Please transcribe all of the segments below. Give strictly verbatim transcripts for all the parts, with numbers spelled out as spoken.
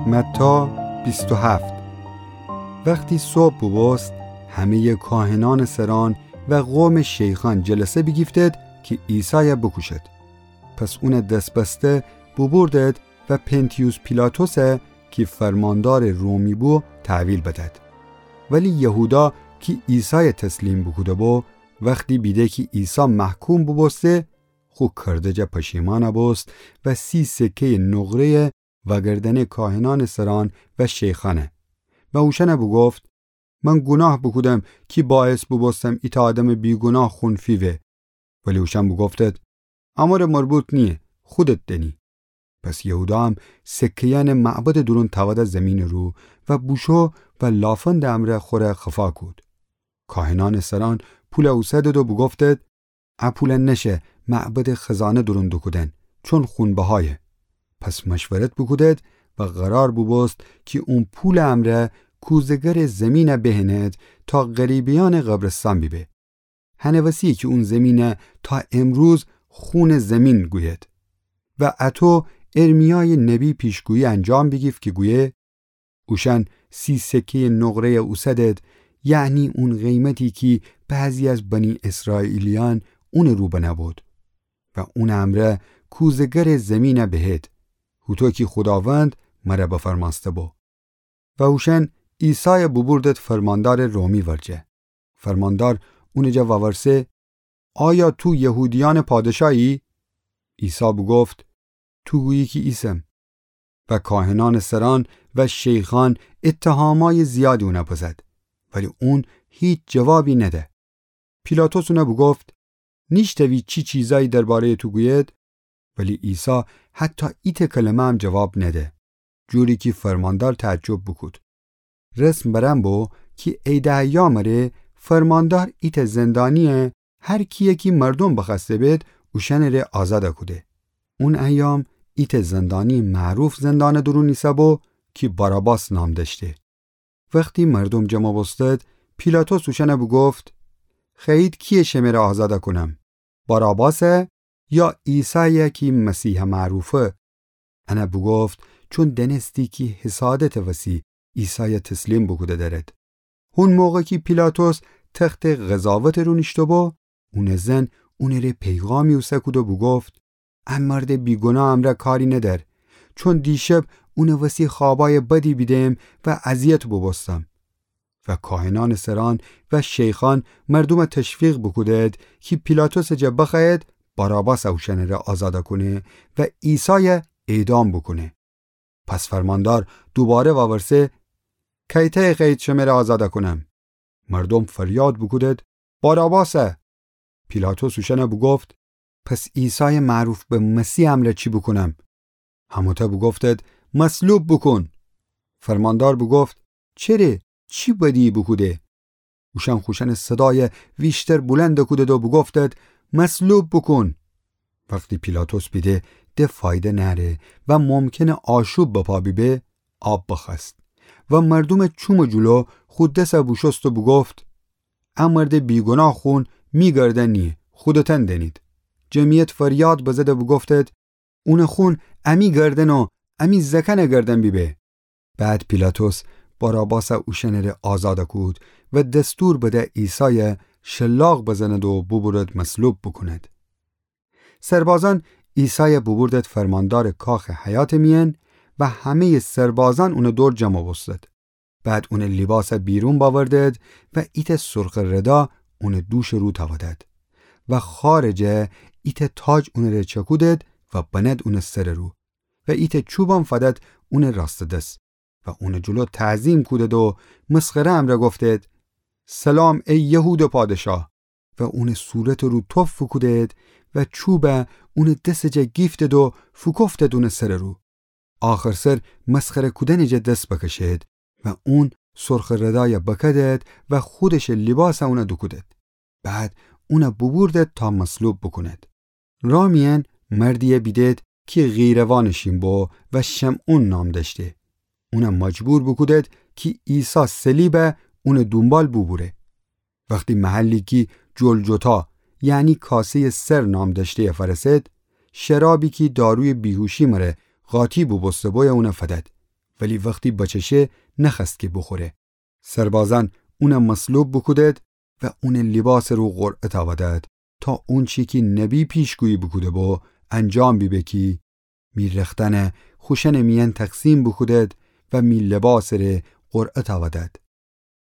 متی بیست و هفت. وختی صبح بوبوست، همه‌یٚ کاهنأنٚ سرأن و قومٚ شیخأن جلسه بیگیفتید کی عیسای بوکوشید. پس اون دس‌بسته بوبوردید و پنتیوس پیلاطس کی فرماندارٚ رومی بو تحویل بدید. ولی یهودا کی عیسای تسلیم بوکوده بو، وختی بیده کی عیسی محکوم بوبوسته، خو کرده جا پشیمأن بوست و سی سکه‌یٚ نقره‌یَ وأگردأنه کاهنأنٚ سرأن و شیخأن و اوشأن بوگفت: من گوناه بوکودم کی باعث بوبوستم ایتأ آدمٚ بیگوناه خون فیوه. ولی اوشأن بوگفتید: امر مربوط نییه، خودت دأنی. پس یهودا هم سکه‌یأنَ معبدٚ دورون تأوده زیمینٚ رو و بوشو و لافندٚ امرأ خوره خفا کود. کاهنأنٚ سرأن پول اوسدید و بوگفتید: ا پول نشه معبدٚ خزانه دورون دوکودن، چون خون‌بهایه. پس مشورت بوکودید و قرار بوبوست کی اون پولٚ امرأ کوزه‌گرٚ زیمین بهنید تا غریبه‌یأنٚ قبرستان بیبه. هنٚ وسیه کی اون زیمین تا امروز خونٚ زیمین گویید. و اطو ارمیایٚ نبی پیشگویی انجام بیگیفت کی گویه: اوشأن سی سکه‌یٚ نقره‌یَ اوسدید، یعنی اون قیمتی کی بعضی از بنی اسرائیلیأن اونٚ رو بنه بود. و اونٚ امرأ کوزه‌گرٚ زیمین بهید، هوطو کی خوداوند مر بفرمأسته بو. و اوشأن عیسای بوبوردید فرماندارٚ رومی ورجه. فرماندار اونٚ جا وورسه: آیا تو یهودیأنٚ پادشاهی؟ عیسی بوگفت: تو گویی کی ایسم. و کاهنأنٚ سرأن و شیخأن اتهامأیٚ زیادی اون بزد، ولی اون هیچ جوابی نده. پیلاطس اون بوگفت: نیشتوی چی چیزأیی درباره‌یٚ تو گوید؟ ولی عیسی حتی ایتأ کلمه هم جواب نده، جوری کی فرماندار تعجب بوکود. رسم بر ان بو کی عیدٚ ایام ره فرماندار ایتأ زندانی‌یَ هر کی‌یَ کی مردوم بخوأسته بید، اوشأنٚ ره آزاد کوده. اون ایام ایتأ زندانی‌یٚ معروف زندانٚ دورون ایسه‌بو کی باراباس نام دأشته. وختی مردوم جمع بوستید، پیلاطس اوشأن بوگفت: خوأیید کی‌یَ شمه ره آزاد کونم؟ باراباسَ یا عیسایَ کی مسیحٚ معروفه؟ ان بوگفت چون دأنستی کی حسادتٚ وسی عیسایَ تسلیم بوکوده دأرید. هون موقع کی پیلاطس تختٚ قضاوتٚ رو نیشته‌بو، اونٚ زن اونٚ ره پیغامی اوسه کود و بوگفت: ا مردٚ بیگوناهٚ امرأ کاری ندأر، چون دیشب اونٚ وسی خوابأیٚ بدی بیدم و اذیت بوبوستم. و کاهنأنٚ سرأن و شیخأن مردومَ تشویق بوکودید کی پیلاطسٚ جا بخوأیید باراباسَ اوشأنٚ ره آزاد کونه و عیسایَ اعدام بوکونه. پس فرماندار دوباره وورسه: کیتأیَ خوأیید شمه ره آزاد کونم؟ مردوم فریاد بوکودید: باراباسَ. پیلاطس اوشأن بوگفت: پس عیسایٚ معروف به مسیحٚ امرأ چی بوکونم؟ همه‌تأ بوگفتید: مصلوب بوکون. فرماندار بوگفت: چره؟ چی بدی‌یی بوکوده؟ اوشأن خوشأنٚ صدایَ ویشتر بولند کودید و بوگفتید: مصلوب بوکون. وختی پیلاطس بیده د فایده نأره و ممکنه آشوب بپا بیبه، آب بخوأست و مردومٚ چومٚ جلو خو دسَ بوشوست و بوگفت: ا مردٚ بیگوناه خون می گردن نییه، خودتأن دأنید. جمعیت فریاد بزد و بوگفتید: اونٚ خون امی گردن و امی زأکأنٚ گردن بیبه. بعد پیلاطس باراباسَ اوشأنٚ ره آزاد کود و دستور بده عیسایَ شلاق بزند و بوبرد مصلوب بوکوند. سربازأن عیسایَ بوبردد فرماندارٚ کاخٚ حیاتٚ میأن و همه‌یٚ سربازأن اونٚ دور جمع بوستد. بعد اونٚ لیباسَ بیرون بأوردد و ایتأ سرخٚ ردا اونٚ دوشٚ رو تأودد و خارٚ جا ایتأ تاج اونٚ ره چأکودد و بند اونٚ سرٚ رو و ایتأ چوبم فدد اونٚ راستٚ دس و اونٚ جلو تعظیم کودد و مسخره‌یٚ امرأ گفتد: سلام ای یهودٚ پادشاه! و اونٚ صورتٚ رو تف فوکودد و چوبَ اونٚ دسٚ جا گیفتد و فوکفتد اونٚ سرٚ رو. آخرسر مسخره کودنٚ جا دس بکشد و اون سرخٚ ردایَ بکدد و خودشٚ لیباسَ اونَ دوکودد. بعد اونَ بوبوردد تا مصلوب بوکوند. راه میأن مردیَ بیدد کی قیروانٚ شین بو و شمعون نام دأشته. اونَ مجبور بوکودد کی عیسی صلیبَ اونٚ دونبال بوبوره. وختی محلی کی جلجتا، یعنی کاسه‌یٚ سر نام دأشته‌یَ فأرسد، شرابی کی دارویٚ بیهوشی مره قاطی بوبوسته بویَ اونَ فدد. ولی وختی بچشه نخوأست کی بوخوره. سربازأن اونَ مصلوب بوکودد و اونٚ لیباسٚ رو قرعه تأودد، تا اونچی کی نبی پیشگویی بوکوده‌بو انجام بیبه کی می رختأنَ خوشأنٚ میأن تقسیم بوکودد و می لیباسٚ ره قرعه تأودد.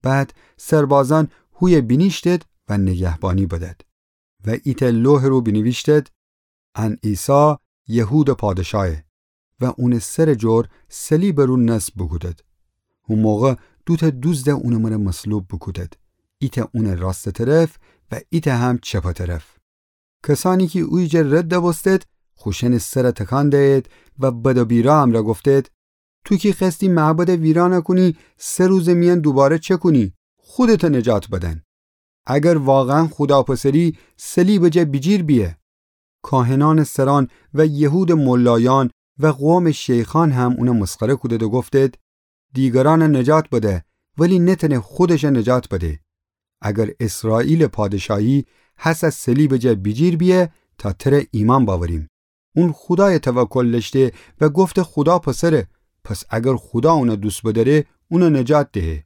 بعد سربازأن هویه بینیشتد و نگهبانی بدد. و ایتأ لوحٚ رو بینیویشتد: ان عیسی یهودٚ پادشایه. و اونٚ سرٚ جور صلیبٚ رو نصب بوکودد. هو موقع دوتأ دوزدَ اونٚ مره مصلوب بوکودد، ایتأ اونٚ راستٚ طرف و ایتأ هم چپٚ طرف. کسأنی کی اویجه رد بوستد، خوشأنٚ سرَ تکان دیید و بد و بیرا امرأ گفتید: تو کی خوأستی معبدَ ویرانَ کونی، سه روزٚ میأن دوباره چکونی، خودتَ نجات بدن. اگر واقعاً خودا پسری، صلیبٚ جا بیجیر بیه. کاهنأنٚ سرأن و یهودٚ ملایأن و قومٚ شیخأن هم اونَ مسخره کودید و گفتید: دیگرأنَ نجات بده، ولی نتأنه خودشَ نجات بده. اگر اسرائیلٚ پادشاهی هسه صلیبٚ جا بیجیر بیه، تا تره ایمأن بأوریم. اون خودایَ توکل دأشته و گفته خودا پسره، پس اگر خودا اونَ دوست بدأره، اونَ نجات دهه.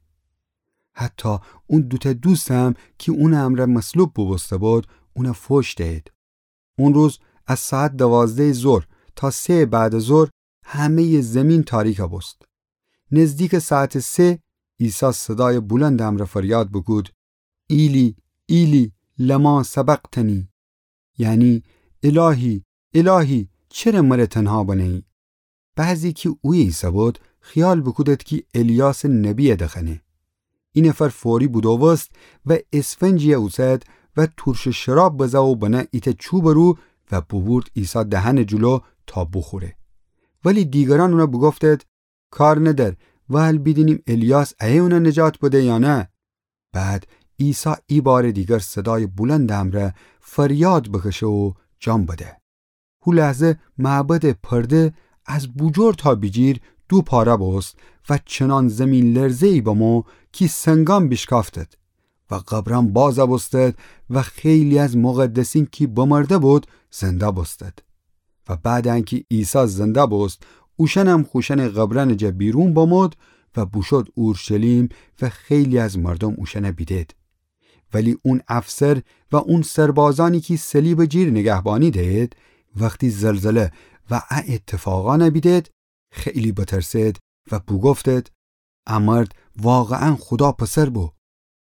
حتی اون دوتأ دوستم کی اونٚ امرأ مصلوب بوبوسته‌بود، اونَ فوش دأیید. اون روز از ساعت دوازدهٚ ظهر تا سه‌یٚ بعدٚ ظهر همه‌یٚ زیمین تاریک بوست. نزدیکٚ ساعتٚ سه عیسی صدایٚ بلندٚ امرأ فریاد بوکود: ایلی، ایلی، لما سبقتنی؟ یعنی، الهی، الهی، چره مره تنها بنه‌یی؟ بعضی کی اویه ایسه‌بود، خیال بوکودید کی الیاسٚ نبیَ دخوأنه. اینفر فوری بودوبوست و اسفنجیَ اوسد و تورشٚ شراب بزه و بنه ایتأ چوبٚ رو و بوبورد عیسی دهنٚ جلو تا بوخوره. ولی دیگرأن اونَ بوگفتید: کار ندأر، وال بیدینیم الیاس ایه اونَ نجات بده یا نه. بعد عیسی ایبارٚ دیگر صدایٚ بلندٚ امرأ فریاد بکشه و جان بده. هو لحظه معبدٚ پرده از بوجور تا بیجیر دو پاره بوست و چنان زیمین‌لرزه‌یی بمو کی سنگأن بیشکافتید و قبرأن باز بوستید و خیلی از مقدسین کی بمرده‌بود زنده بوستید. و بعد انکی عیسی زنده بوست، اوشأنم خوشأنٚ قبرأنٚ جا بیرون بمود و بوشود اورشلیم و خیلی از مردوم اوشأنَ بیدید. ولی اون افسر و اون سربازأنی کی صلیبٚ جیر نگهبانی دیید، وختی زلزله و ا اتفاقأنَ بیدید، خیلی بترسید و بوگفتید: ا مرد واقعاً خودا پسر بو.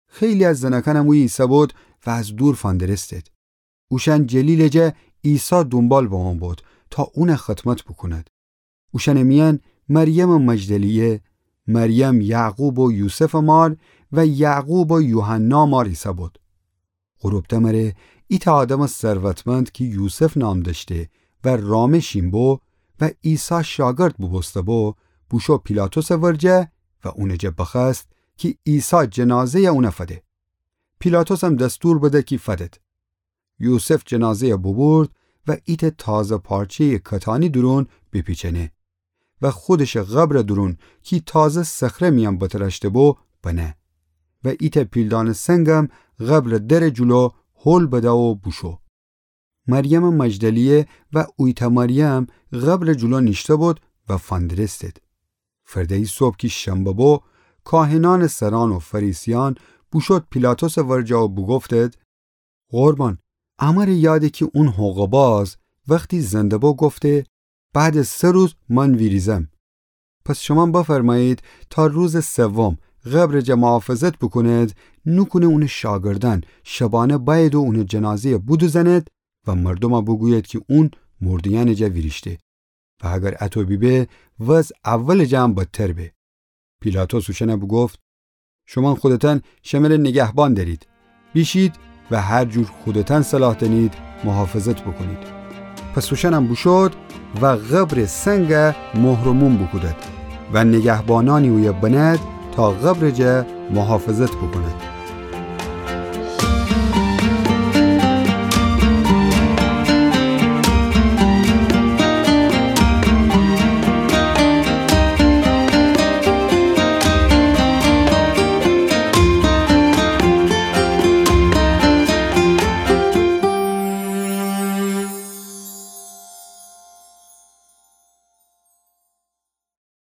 خیلی از زنأکأنم اویه ایسه‌بود و از دور فندرستید. اوشأن جلیلٚ جا عیسی دونبال بمو بود تا اونَ خدمت بوکوند. اوشأنٚ میأن مریمٚ مجدلیه، مریم یعقوب و یوسفٚ مار و یعقوب و یوحنا مار ایسه‌بود. غروب دمره ایتأ آدمٚ ثروتمند کی یوسف نام دأشته و رامه شین بو و عیسی شاگرد بوبوسته‌بو، بوشو پیلاطسٚ ورجه و اونٚ جا بخوأست کی عیسی جنازه‌یَ اونَ فده. پیلاطسم دستور بده کی فدید. یوسف جنازه‌یَ بوبورد و ایتأ تازه پارچه‌یٚ کتانی دورون بیپیچأنه و خودشٚ قبرٚ دورون کی تازه صخره میأن بترأشته‌بو بنه و ایتأ پیلدانٚ سنگم قبرٚ درٚ جلو هول بده و بوشو. مریمٚ مجدلیه و اویتأ مریم قبرٚ جلو نیشته‌بود و فندرستید. فرده‌یی صبح کی شنبه بو، کاهنأنٚ سرأن و فریسیأن بوشود پیلاطسٚ ورجه و بوگفتید: قربان، امره یاده کی اون حقه‌باز وختی زنده بو گفته: بعدٚ سه روز من ویریزم. پس شومأن بفرمأیید تا روزٚ سوم قبرٚ جا محافظت بوکونید، نوکونه اونٚ شاگردأن شبانه بأیید و اونٚ جنازه‌یَ بودوزنید و مردومَ بوگویید کی اون مرده‌یأنٚ جا ویریشته. و اگر اطو بیبه، وضع اولٚ جا هم بدتر به. پیلاطس اوشأنَ بوگفت: شومأن خودتأن شمره نگهبان دأرید. بیشید و هر جور خودتأن صلاح دأنید محافظت بوکونید. پس اوشأنم بوشود و قبرٚ سنگ مهر و موم بوکودید و نگهبانأنی اویه بنید تا قبرٚ جا محافظت بوکونید.